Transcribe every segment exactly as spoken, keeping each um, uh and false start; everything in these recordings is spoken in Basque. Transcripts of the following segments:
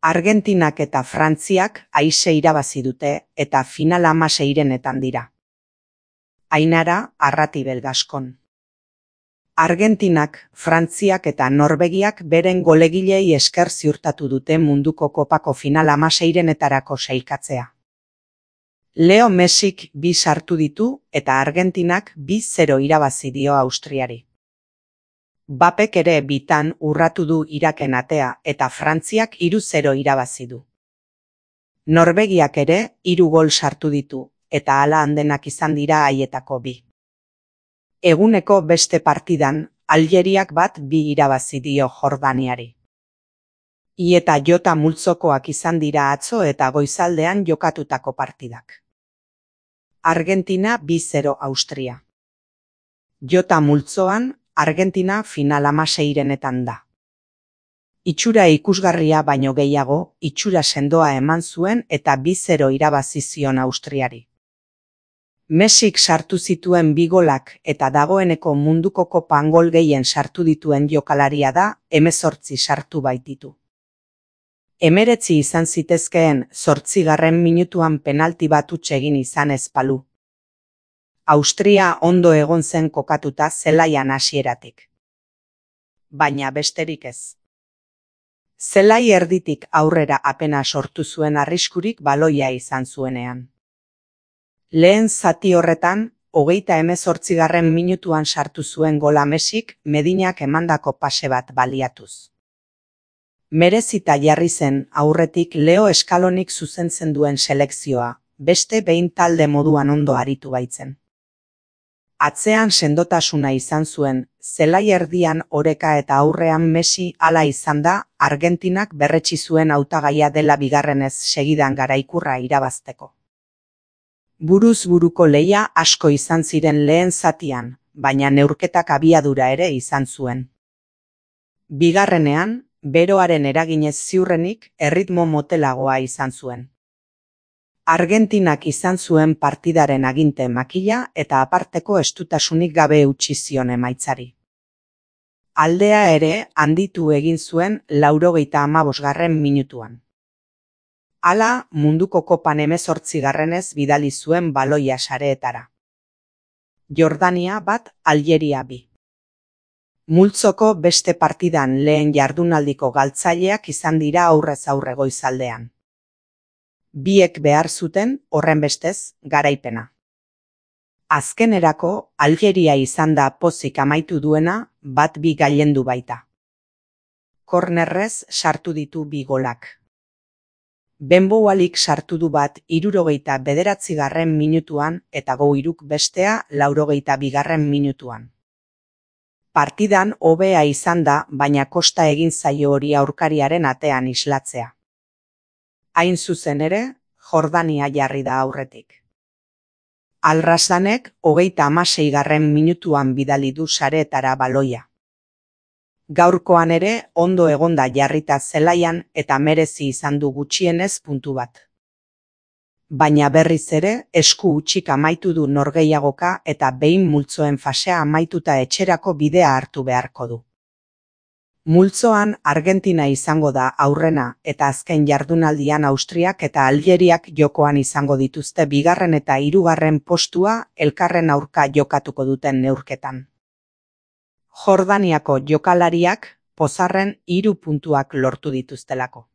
Argentinak eta Frantziak aise irabazi dute eta final hamaseirenetan dira. Ainara Arratibel Gaskon. Argentinak, Frantziak eta Norvegiak beren golegilei esker ziurtatu dute munduko kopako final hamaseirenetarako sailkatzea. Leo Messik bi sartu ditu eta Argentinak bi zero irabazi dio Austriari. Bapek ere bitan urratu du Iraken atea eta Frantziak hiru zero irabazi du. Norvegiak ere hiru gol sartu ditu eta hala handenak izan dira haietako bi. Eguneko beste partidan, Aljeriak bat bi irabazi dio Jordaniari. I eta jota multzokoak izan dira atzo eta goizaldean jokatutako partidak. Argentina bi zero Austria. Jota multzoan, Argentina final hamaseirenetan da. Itxura ikusgarria baino gehiago, itxura sendoa eman zuen eta bi zero irabazi zion Austriari. Messik sartu zituen bi golak eta dagoeneko munduko kopan gol gehien sartu dituen jokalaria da, hemezortzi sartu baititu. Hemeretzi izan zitezkeen zortzigarren minutuan penalti bat huts egin izan ez balu. Austria ondo egon zen kokatuta zelaian hasieratik. Baina besterik ez. Zelai erditik aurrera apena sortu zuen arriskurik baloia izan zuenean. Lehen zati horretan, hogeita hemezortzigarren minutuan sartu zuen gola Messik Medinak emandako pase bat baliatuz. Merezita jarri zen aurretik Leo Eskalonik zuzentzen duen selekzioa, beste behin talde moduan ondo aritu baitzen. Atzean sendotasuna izan zuen, zelai erdian oreka eta aurrean Messi hala izan da, Argentinak berretsi zuen hautagaia dela bigarrenez segidan garaikurra irabazteko. Buruz buruko lehia asko izan ziren lehen zatian, baina neurketak abiadura ere izan zuen. Bigarrenean, beroaren eraginez ziurrenik erritmo motelagoa izan zuen. Argentinak izan zuen partidaren aginte makila eta aparteko estutasunik gabe utzi zion emaitzari. Aldea ere handitu egin zuen laurogeita hamabosgarren minutuan. Hala, munduko kopan hemezortzigarrenez bidali zuen baloia sareetara. Jordania bat, Aljeria bi. Multzoko beste partidan lehen jardunaldiko galtzaileak izan dira aurrez aurre goizaldean. Biek behar zuten, horrenbestez, garaipena. Azkenerako, Aljeria izan da pozik amaitu duena, bat bi gailendu baita. Kornerrez sartu ditu bi golak. Benboalik sartu du bat hirurogeita bederatzigarren minutuan eta Goiruk bestea laurogeita bigarren minutuan. Partidan hobea izan da, baina kosta egin zaio hori aurkariaren atean islatzea. Hain zuzen ere, Jordania jarri da aurretik. Alrasanek hogeita hamaseigarren minutuan bidali du sareetara baloia. Gaurkoan ere ondo egonda jarrita zelaian eta merezi izan du gutxienez puntu bat. Baina berriz ere esku hutsik amaitu du norgehiagoka eta behin multzoen fasea amaituta etxerako bidea hartu beharko du. Multzoan Argentina izango da aurrena eta azken jardunaldian Austriak eta Aljeriak jokoan izango dituzte bigarren eta hirugarren postua elkarren aurka jokatuko duten neurketan. Jordaniako jokalariak pozarren hiru puntuak lortu dituztelako.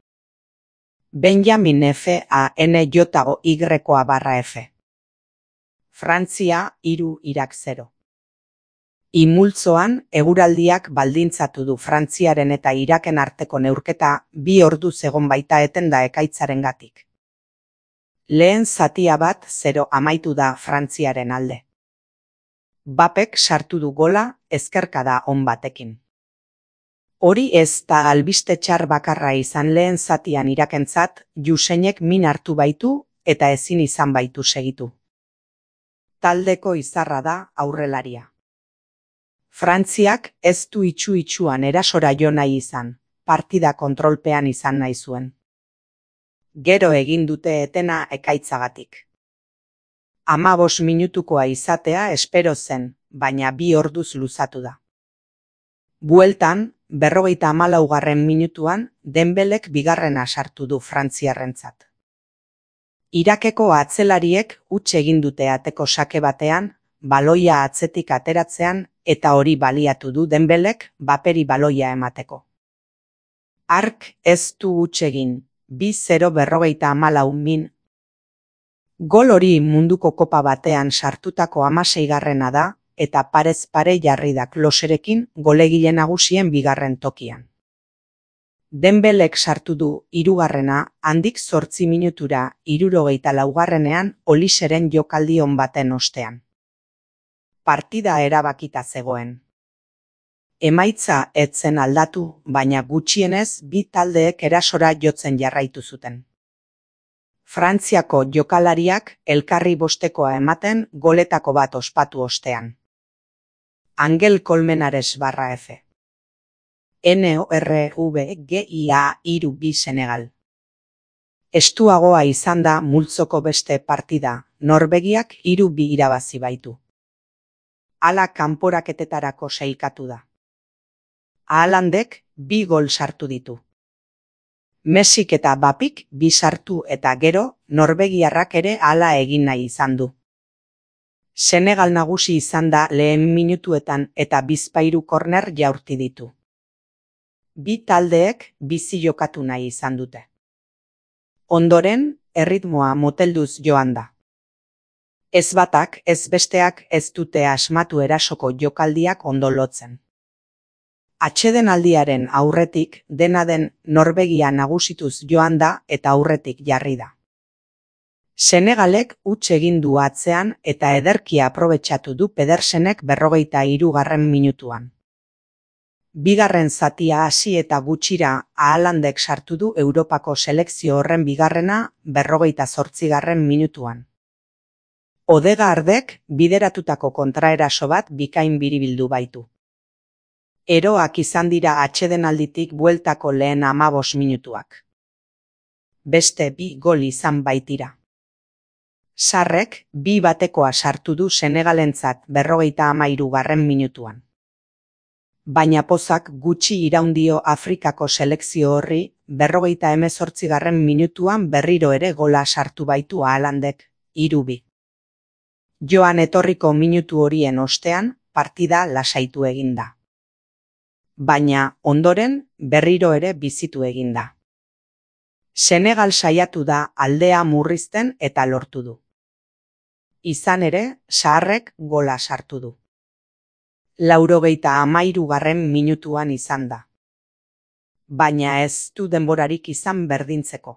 Benjamin F A N J O Y barra F. Frantzia hiru Irak zero. Imultzoan eguraldiak baldintzatu du Frantziaren eta Iraken arteko neurketa bi orduz egon baita etenda ekaitzarengatik. Lehen zatia bat zero amaitu da Frantziaren alde. Bapek sartu du gola ezkerkada on batekin. Hori ez da albiste txar bakarra izan lehen zatian Irakentzat, Juseinek min hartu baitu eta ezin izan baitu segitu. Taldeko izarra da aurrelaria. Frantziak ez du itxu-itxuan erasora jo nahi izan, partida kontrolpean izan nahi zuen. Gero egin dute etena ekaitzagatik. Hamabos minutukoa izatea espero zen, baina bi orduz luzatu da. Bueltan, berrogeita hamalaugarren minutuan Dembelek bigarrena sartu du frantziarrentzat. Irakeko atzelariek huts egin dute ateko sake batean, baloia atzetik ateratzean eta hori baliatu du Dembelek Baperi baloia emateko. Hark ez du huts egin, bi zero berrogeita hamalau min. Gol hori munduko kopa batean sartutako hamaseigarrena da eta parez pare jarri da Kloserekin golegile nagusien bigarren tokian. Dembelek sartu du hirugarrena handik zortzi minutura hirurogeita laugarrenean Oliseren jokaldi on baten ostean. Partida erabakita zegoen. Emaitza ez zen aldatu, baina gutxienez bi taldeek erasora jotzen jarraitu zuten. Frantziako jokalariak elkarri bostekoa ematen goletako bat ospatu ostean. Angel Colmenares barra F. N O R V G I A hiru bi Senegal. Estuagoa izan da multzoko beste partida, Norvegiak hiru bi irabazi baitu. Hala kanporaketetarako sailkatu da. Haalandek bi gol sartu ditu. Messik eta Bapik bi sartu eta gero norvegiarrak ere hala egin nahi izan du. Senegal nagusi izan da lehen minutuetan eta bizpahiru korner jaurti ditu. Bi taldeek bizi jokatu nahi izan dute. Ondoren, erritmoa motelduz joan da. Ez batak, ez besteak ez dute asmatu erasoko jokaldiak ondo lotzen. Atsedenaldiaren aurretik dena den Norvegia nagusituz joan da eta aurretik jarri da. Senegalek huts egin du atzean eta ederki aprobetxatu du Pedersenek berrogeita hirugarren minutuan. Bigarren zatia hasi eta gutxira Haalandek sartu du Europako selekzio horren bigarrena berrogeita zortzigarren minutuan. Odegaardek bideratutako kontraeraso bat bikain biribildu baitu. Eroak izan dira atsedenalditik bueltako lehen hamabos minutuak. Beste bi gol izan baitira. Sarrek bi batekoa sartu du Senegalentzat berrogeita hamairugarren minutuan. Baina pozak gutxi iraundio Afrikako selekzio horri berrogeita hemezortzigarren minutuan berriro ere gola sartu baitu Haalandek, hiru bi. Joan etorriko minutu horien ostean partida lasaitu eginda. Baina ondoren berriro ere bizitu eginda. Senegal saiatu da aldea murrizten eta lortu du. Izan ere, Sarrek gola sartu du. Laurogeita hamairugarren minutuan izan da. Baina ez du denborarik izan berdintzeko.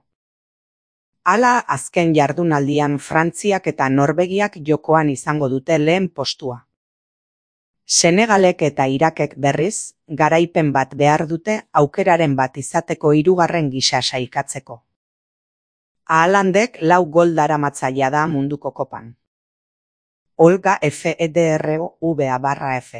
Hala azken jardunaldian Frantziak eta Norvegiak jokoan izango dute lehen postua. Senegalek eta Irakek berriz, garaipen bat behar dute aukeraren bat izateko hirugarren gisa sailkatzeko. Haalandek lau gol daramatzaia da munduko kopan. Olga F E D R O V A barra F